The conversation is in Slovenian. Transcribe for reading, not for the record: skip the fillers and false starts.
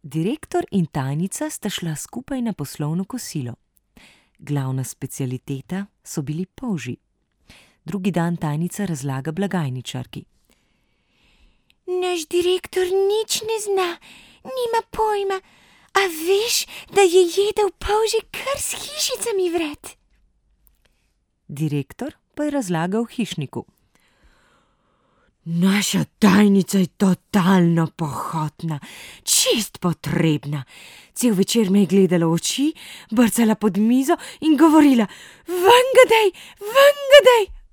Direktor in tajnica sta šla skupaj na poslovno kosilo. Glavna specialiteta so bili polži. Drugi dan tajnica razlaga blagajničarki. Naš direktor nič ne zna, nima pojma, a veš, da je jedel polži kar s hišicami vred? Direktor pa je razlagal hišniku. Naša tajnica je totalno pohotna, čist potrebna. Cel večer me je gledala v oči, brcala pod mizo in govorila: Ven ga dej, ven ga dej!